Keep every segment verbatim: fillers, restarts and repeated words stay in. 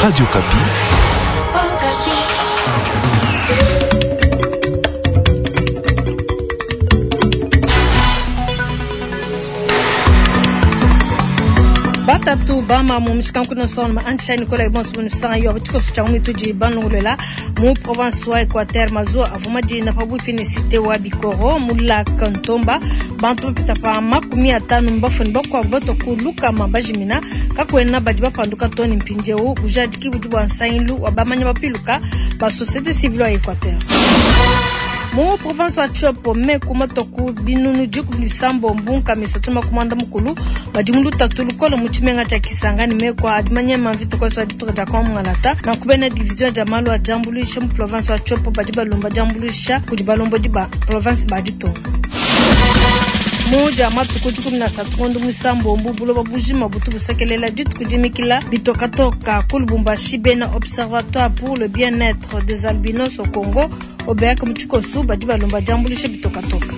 Radio Okapi. Batatu bama mu mishikankuno son ma ancha Nicolas Ibon sunu sanga yo tshikoso tsha mwituji banungulela mu province wa Equateur mazo avuma di na pabuipi ne cité wa Bikoro mu lac Ntomba bantu bapita pa makumi atanu mbafuni bakwabu batokuluka mabajimina kakwena badi bapanduka toni mpindieu bujadiki budi bua nsangilu wa bamanya bapiluka ba société civile wa Equateur. Mu province wa Tshopo meku matoku binunu dikumi bisambo mbunka misatu makumanda mukulu badi mu lutatu lukolo mu tshimenga tshia Kisangani meku adi manyema mvita koso ya dituka dia Kwamungalata na kubena division dia malu a diambuluisha mu province wa Tshopo badi balomba diambuluisha kudi balombodi ba province ba ditunga. Muja matuku dikumi na asatu ngondo muisambombo buloba bujima butu busekelela dituku dimikila bitokatoka ku Lubumbashi bena Observatoire pour le bien-être des albinos au Congo obeyaka mu tshikosu badi balomba diambuluisha bitokatoka.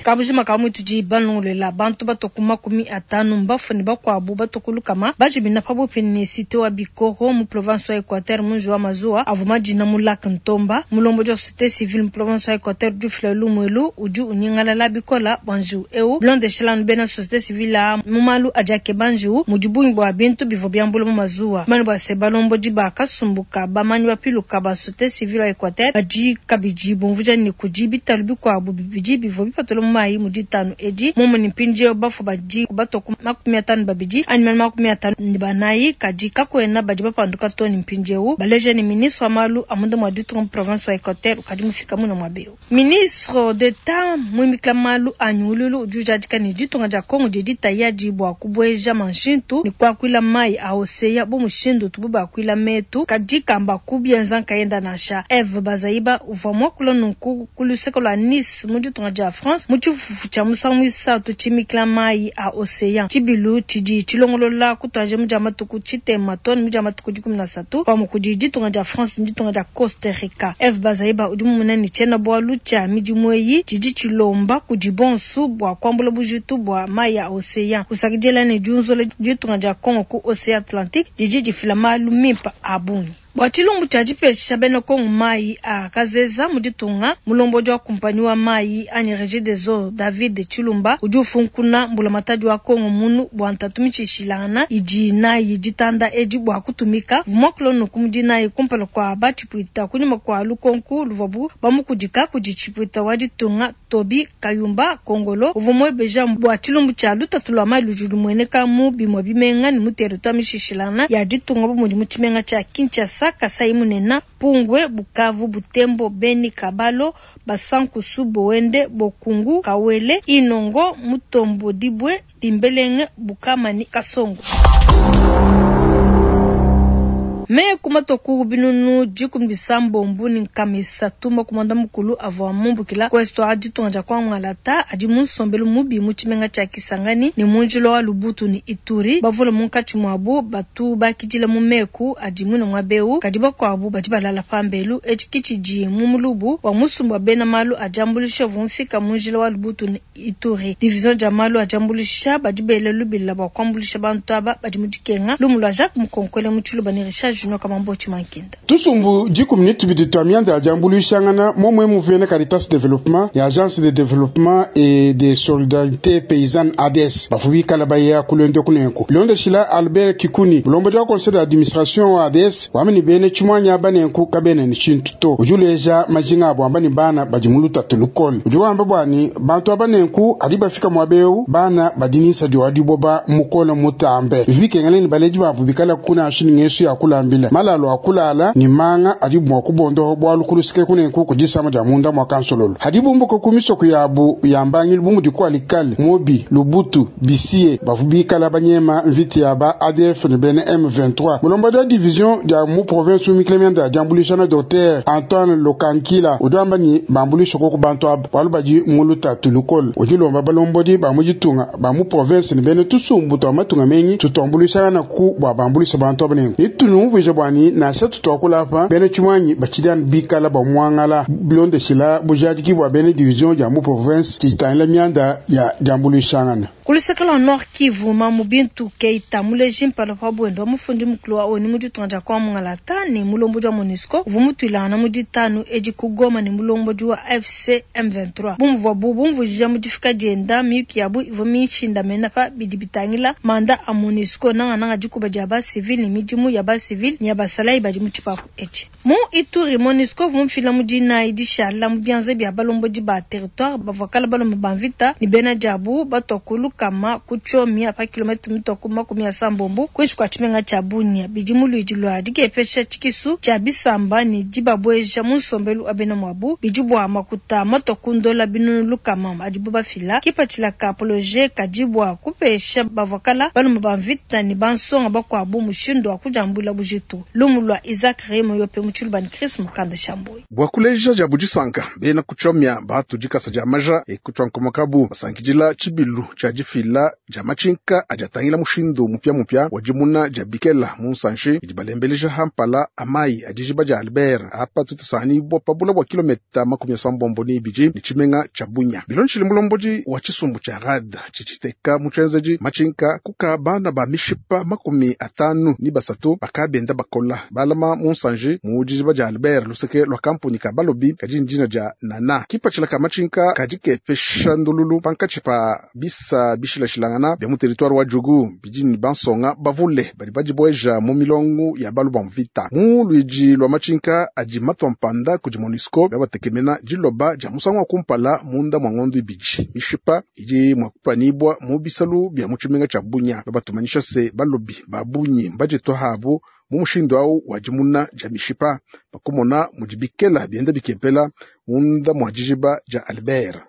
Kabujima ka mwituji banungulela bantu batoku makumi atanu mbafuni bakwabu batokulukama bajimina pabupi ni cité wa Bikoro mu province wa Equateur munji wa mazuwa avuma dina mu lac Ntomba mulombodi wa société civile mu province wa Equateur du fleuve Lumwelu udi unyingalala bikola bwanju eu bilondeshela bena société civile a mu malu adi banju mudi bungi bua bintu bivua biambula mu mazuwa mani bua se balombodi bakasumbuka bamanyi bapiluka ba société civile wa Equateur badi kabidi bumvuja ni kudi bitalu bikuabu bibidi bivua bipatula mu mai mu ditanu edi momo ni mpindieu bafu badi batoku makumi atanu babidi anyi makumi atanu ne banayi kadi kakwena badi bapanduka toni mpindieu baleja ni ministre wa malu a munda mua ditunga mu province wa Equateur ukadi mufika muna mua beu. Ministre d'Etat muimikila malu a nyungululu udi ujadika ne ditunga dia Kongo didi tayadi bua kubueja manshintu ne kuakuila mai a oseya bu mushindu tubu bakuila metu kadi kamba kubienza nkayenda nansha. Eve Bazaiba uvua muakula nunku ku luseke lua Nice mu ditunga dia France mu tshifufu tshia musangu muisatu tshimikila mai a oseya tshibilu tshidi tshilongolola kutwaje mu dia matuku tshitema toni mu dia matuku dikumi na asatu pamue kudi ditunga dia France ne ditunga dia Costa Rica. Eve Bazaiba udi mumuna ne tshiena bualu tshia midimu eyi tshidi tshilomba kudi bonsu bua kuambula bujitu bua mai a oseya kusakidila ne diunzola ditunga dia Congo ku Océan Atlantique didi difila malu mimpe a bungi. Bua tshilumbu tshia dipesha bena Kongo mai a kazeza mu ditunga mulombodi wa kumpanyi wa mai anyi Régie des Eaux David Tshilumba udi ufunkuna mbulamatadi wa Kongo munu bua ntatu mitshishilangana idi nayi ditanda edi bua kutumika vumwakulo nuku mudi nayi kumpala kua batshipuita kunyima kua lukonku luvuabu bamukudika kudi tshipuita wa ditunga Tobi Kayumba Kongolo uvua muebeja bua tshilumbu tshia lutatu lua mai ludi lumueneka mu bimue bimenga ne mu territoire mishishilangana ya ditunga bu mudi mu tshimenga tshia Kinshasa, Kasai Munena, Pungwe, Bukavu, Butembo, Beni, Kabalo, Basankusu, Boende, Bokungu, Kawele, Inongo, Mutombo, Dibwe, Dimbelenge, Bukamani, Kasongo. Meku matoku binunu dikumi bisambombo ni nkama isatu makumanda mukulu avua mumbukila ku est wa ditunga dia Kwangalata adi mu nsombelu mubi mu tshimenga tshia Kisangani ne mu njila wa Lubutu ne Ituri bavula munkatshi muabu batu bakidila mu meku adi muine mua beu kadi bakuabu badi balala pambelu etshi ke tshidi mu mulubu wa musumba wa bena malu a diambuluisha uvua mufika mu njila wa Lubutu ne Ituri. Division dia malu a diambuluisha badi bela lubila bua kuambuluisha bantu aba badi mu dikenga. Lumu lua Jacques Mukonkole mu Tshiluba ne Richard Junior Kamamboti Mankinda. Tusumbu dikumi ne tubidi tua mianda ya diambuluishangana momwe muvene Caritas Développement ya Agence de Développement et de Solidarité Paysanne A D S bafu bikala baya kulonde kunenku bilondeshila Albert Kikuni mulombodi wa conseil d'administration wa A D S wamini bene tshimwanya banenku kabene ni tshintu to udi uleja majinga abo amba ni bana badi mu lutatu lukole udi wamba bwani bantu abanenku adi bafika mwabeu bana badi nisa di wadiboba mukole mutambe bivikengele ni baleji babu bikala kuna ashini ngesu ya kulambila malalo akulala ni manga adi mwa kubondoho bwalu kulusike kunenku kudisama dia munda mwa kansololo hadi bumbuko kumisoko yabu yambangili bumu dikwa likale mobi Lubutu bisie bafu bikala banyema mviti ya ba A D F ne bene M vingt-trois mulombodi wa division dia mu province umikile dia diambulisha na docteur Antoine Lokankila udwamba ni bambulisha koko bantu aba bwalu badi muluta tulukol udilomba balombodi ba mujitunga ba mu province ne bene tusumbu twa matunga mengi tutombulisha na ku bwa bambulisha bantu aba nenku nitunumvu Mumvuija bwani nansha tutuakula apa bena tshimuanyi batshidi bikala bamuangala bilondeshila bujadiki bwa bena division dia mu province tshitangila mianda ya diambuluishangana. Ku luseke lua Nord Kivu, Mamu Bintu Keita muleji mpala pa bwendo wa mufundi mukulu wa ONU mu ditunga dia Kongo Mungalata ne mulombodi wa MONUSCO uvua mutuilangana mu ditanu edi ku Goma ne mulombodi wa A F C M vingt-trois. Bumvua bu bumvuija mu difika dienda, miyuki yabu ivua mishindamena pa bidi bitangila mandat a MONUSCO, nangananga dikuba dia basivile ne midimu ya basivile ne ya basalayi badi mu tshipapu etshi. Mu Ituri, MONUSCO uvua mufila mu dinayi dishala mu bianza bia balombodi ba territoire bavua kala balomba ba mvita ne bena diabu batua ku lukama ku Tchomia pa kilomètre mitua ku makumi asambombo kuinshi kua tshimenga tshia Bunia. Bidi mu luidi lua dikepesha tshikisu tshia bisamba ne dibabueja mu nsombelu wa bena muabu. Bidi bua makuta matua ku ndola binunu lukama adibu bafila. Kipatshila ka projet kadi bua kupesha bavua kala balomba ba mvita ne bansonga bakuabu mushindu wa kudiambula bujitu. Lumu lua Isaac Remo Yope mu tshiluba ne Chris Mukanda Shamboyi. Bua kuleja dia budisanka, bena kuchomia batu dikasa dia maja ekutswa nkomokabu basankidila tshibilu tshia difila dia matshinka adi atangila mushindu mupia-mupia wa dimuna dia bikela mu nsanshi idi balembeleja hampala amayi adi dijiba dia Albert apa tutusani bua pabula bua kilometa makumi asambombo ni ibidi ne tshimenga tshia Bunya. Bilondeshile mulombodi wa tshisumbu tshia RAD tshitshiteka mu tshienzedi matshinka kuka bana ba mishipa makumi atanu ni basatu bakabenda bakola balama mu nsanji mu dijiba dia Albert luseke lua kampuni ka balobi kadi ndina dia nana. Kipatshila ka matshinka kadi kepesha ndululu pankatshi pa bisa bishilashilangana bia mu territoire wa Djugu bidi ni bansonga bavule badi badibueja mu milongo ya balu ba mvita. Mu luidi lua matshinka adi matua mpanda kudi MONUSCO babatekemena diloba dia musangu wa kumpala munda mwa ngondo ibidi. Mishipa idi mua kupanibwa mu bisalu bia mu tshimenga tshia Bunya. Babatumanyisha se balobi ba bunyi mbaditwa habu mu mushindu awu wa dimuna dia mishipa bakumona mudi bikela bienda bikepela munda mwa dijiba dia Albert.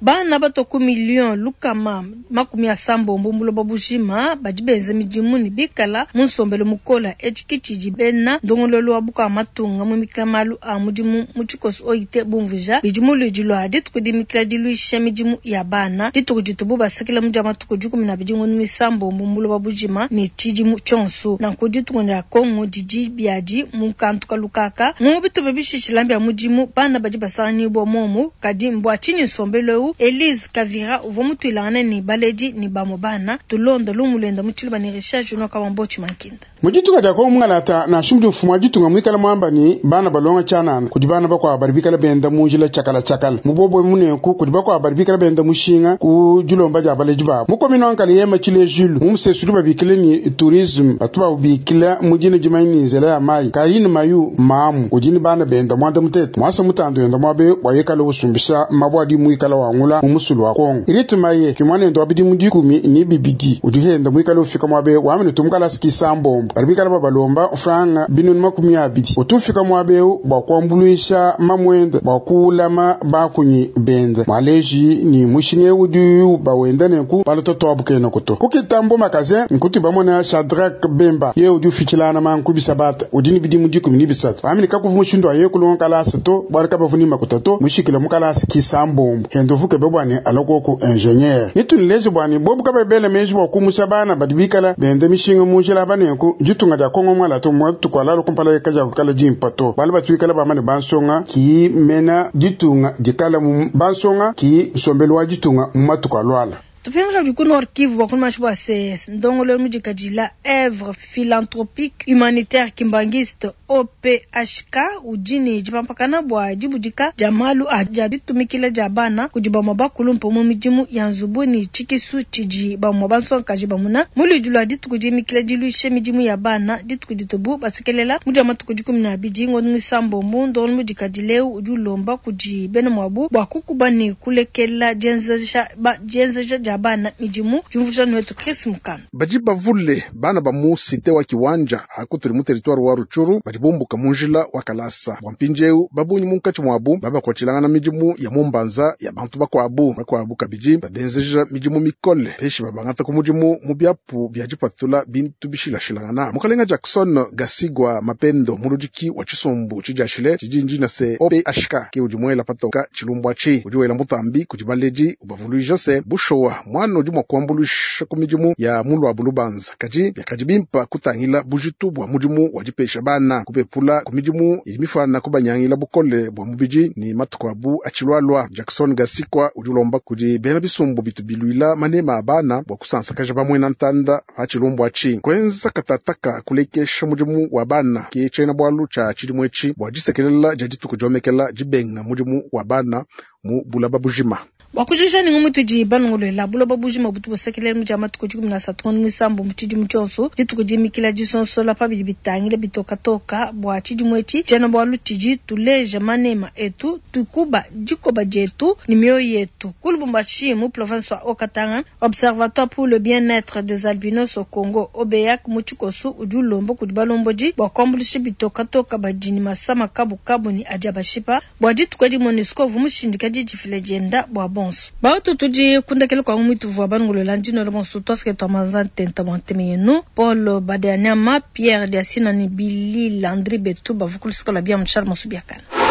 Bana batua ku million lukama makumi asambombo muloba bujima badi benza midimu ne bikala mu nsombelu mukola. Etshi tshidi bena ndongoluelu wa buka matunga mu mikila malu a mudimu mu tshikoso O I T bumvuija. Bidi mu luidi lua dituku dimikila diluisha midimu ya bana, dituku ditubu basakila mu dia matuku dikumi na abidi ngondo misambombo muloba bujima ne tshidimu tshionso. Nanku dituku dia Kongo didi biadi mu kantu kalukaka mu bitupa bishishila bia mudimu bana badi basanganyibwa momu. Kadi mbua tshinyi nsombelu eu? Elise Kavira uvua mutuilangane ne baledi ne bamue bana. Tulonda lumu luenda mu tshiluba ne Richard Junior Kawambochi Mankinda. Mu ditunga dia Kongo mungalata, nansha mudi mfumu wa ditunga muikala muamba ni bana balonga tshianana, kudi bana bakuabu badi bikala benda mu njila tshiakala tshiakala mu bobwe munenku, kudi bakuabu badi bikala benda mushinga ku dilomba dia baledi babu. Mu commune wa Ngaliema, Tshilejulu mu musesu udi babikile ni tourisme batu babikila mu dina dimanyi ni nzela ya mayi, Karine Mayu mamu udi ni bana benda mwanda mutete mwasa mutando yenda mwabe bwa yekala usumbisha mabwa adi muikala wangula mu musulu wa Kongo. Iriti maye kimwanendo wa bidimu dikumi ni bibidi udi henda muikala ufika mwabe wamene tumukala sikisambombo bali bikala babalomba franga binunu makumi abidi utufika mwabeu bwa kuambuluisha mamwenda bwa kulama bakunyi benda mwaleji ni mushinge udi bawenda nenku balototo abukene kuto kukitambo makaze nkuti bamona Shadrack Bemba ye udi ufichilana manku bisabata udi ni bidimu dikumi ni bisatu wamene kakuvu mushindu aye kulonga kalasa to bwali kabavuni makuta to mushikile mukalasa kisambombo hendo vuke bebwani alokoko ingénieur nitunilezi bwani bobu kabebele menji bwa kumusha bana badi bikala bende mishinga munjila banenku ditunga dia Kongo mwala to mwatukwala kumpala kaja kukala jimpa to bali batuikala bamane bansonga ki mena ditunga dikala mu bansonga ki nsombelu wa ditunga mu matuku alwala. Tupinga ku Nord Kivu bakulu bua se ndongolo mudikadila Œuvre philanthropique humanitaire kimbangiste O P H K udi ne dipampakana bua dibudika dia malu a dia ditumikila dia bana kudi bamue bakulumpe mu midimu ya nzubu ne tshikisu tshidi bamue bansongakaji bamuna. Mu luidi lua dituku dimikila diluisha midimu ya bana, dituku ditubu basekelela mu dia matuku dikumi na abidi ngondo misambombo, ndongolo mudikadila eu udi ulomba kudi bena muabu bua kukuba ne kulekela dienzeja ba dienzeja dia bana midimu. Diumvuija wetu Chris Mukana. Badi bavule bana ba mu cité wa Kiwanja akutuli mu territoire wa Rutshuru badi bumbuka mu njila wa kalasa bua mpindieu babunyi munkatshi muabu babakuatshilangana midimu ya mumbanza ya bantu bakuabu bakuabu kabidi babenzeja midimu mikole peshi babangata ku mudimu mu biapu bia dipatula bintu bishilashilangana. Mukalenga Jackson Gasigwa Mapendo muludiki wa tshisumbu tshidiashile tshidi ndina se O P H K ke udi muela patoka tshilumbwa tshi udi wela mutambi kudi baledi ubavuluija se bushowa Mwana udi mwa kuambuluisha ku midimu ya mulwabu lubanza. Kadi biakadi bimpa kutangila bujitu bwa mudimu wa dipesha bana kupepula ku midimu idi mifana kubanyangila bukole bwa mubidi ni matuku abu atshilualua. Jackson Gasikwa udi ulomba kudi bena bisumbu bitu bilwila manema a bana bwa kusansakaja bamwena ntanda pa tshilumbu atshi. Kwenza katataka kulekesha mudimu wa bana ke tshiena bwalu tsha tshidimu etshi bwa disekelela dia dituku diomekela dibenga mudimu wa bana mu bulaba bujima. Bwa kujija ni ngumu tudi balongolola buloba bujima butu busekelela mu dia matuku dikumi na asatu ngondo muisambo mu tshidimu tshionso dituku dimikila disonsola pa bidi bitangila bitokatoka bwa tshidimu etshi tshiena bwalu tshidi tuleja manema etu tukuba dikoba dietu ni mioyo yetu. Ku Lubumbashi mu province wa Haut-Katanga, Observatoire pour le bien-être des albinos au Congo OBEAC mu tshikosu udi ulomba kudi balombodi bwa kuambuluisha bitokatoka badi ni masama kabukabu ni adi abashipa bwa dituku edi MONUSCO uvua mushindika didifila dienda bwa bonso. Bautu tudi kundakela kwa mwitu vwa bangulola ndino bonso twasike twa manza ntenta bwa nteme yenu Paul Badeanyama Pierre Diasina ni Billy Landry Betu bavukulu sikola bia Charles Mosubiakana.